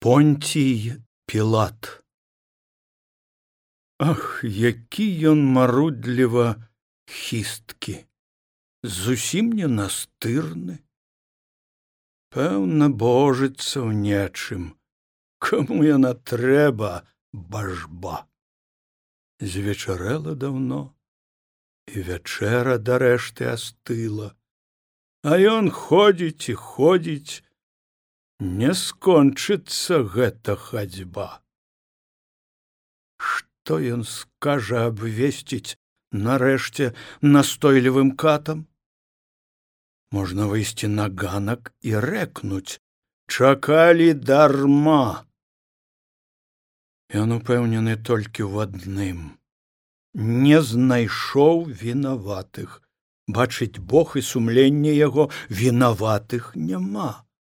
Понтій Пілат. Ах, які ён марудліва хісткі, зусім не настырны. Пэўна, божыцца ў нечым, каму яна трэба, бажба. Звечарэла даўно, і вячэра дарэшты астыла, а ён ходзіць і ходзіць, не скончыцца гэта хадзьба. Што ён скажа абвесціць нарэшце настойлівым катам? Можна выйсці на ганак і рэкнуць: чакалі дарма. Ён упэўнены толькі ў адным: не знайшоў вінаватых. Бачыць Бог і сумленне яго, вінаватых няма.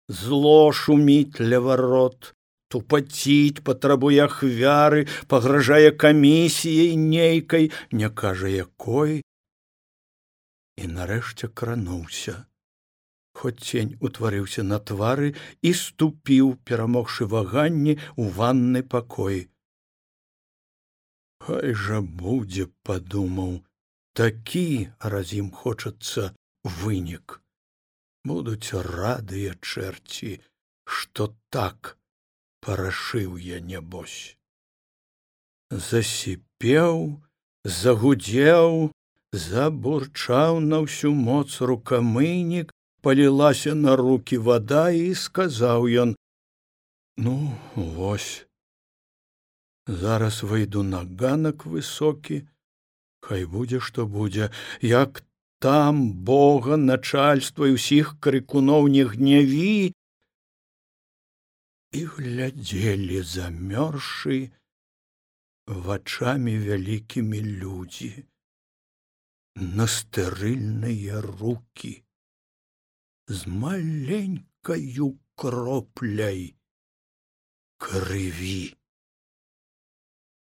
Зло шуміць ля варот, тупаціць, патрабуе ахвяры, пагражае камісіяй нейкай, не кажа якой. І нарэшце крануўся, хоць цень утварыўся на твары, і ступіў, перамогшы ваганні, у ванны пакой. Хай жа будзе, падумаў, такі, раз ім хочацца, вынік. Будуць радыя чэрці, што так парашыў я, нябось. Засіпеў, загудзеў, забурчаў на ўсю моц рукамыйнік, палілася на рукі вада, і сказаў ён: ну, вось, зараз выйду на ганак высокі, хай будзе, што будзе, як там Бога, начальства і ўсіх крыкуноў не гняві. І глядзелі замёрзшы вачамі вялікімі людзі на стэрыльныя рукі з маленькаю кропляй крыві.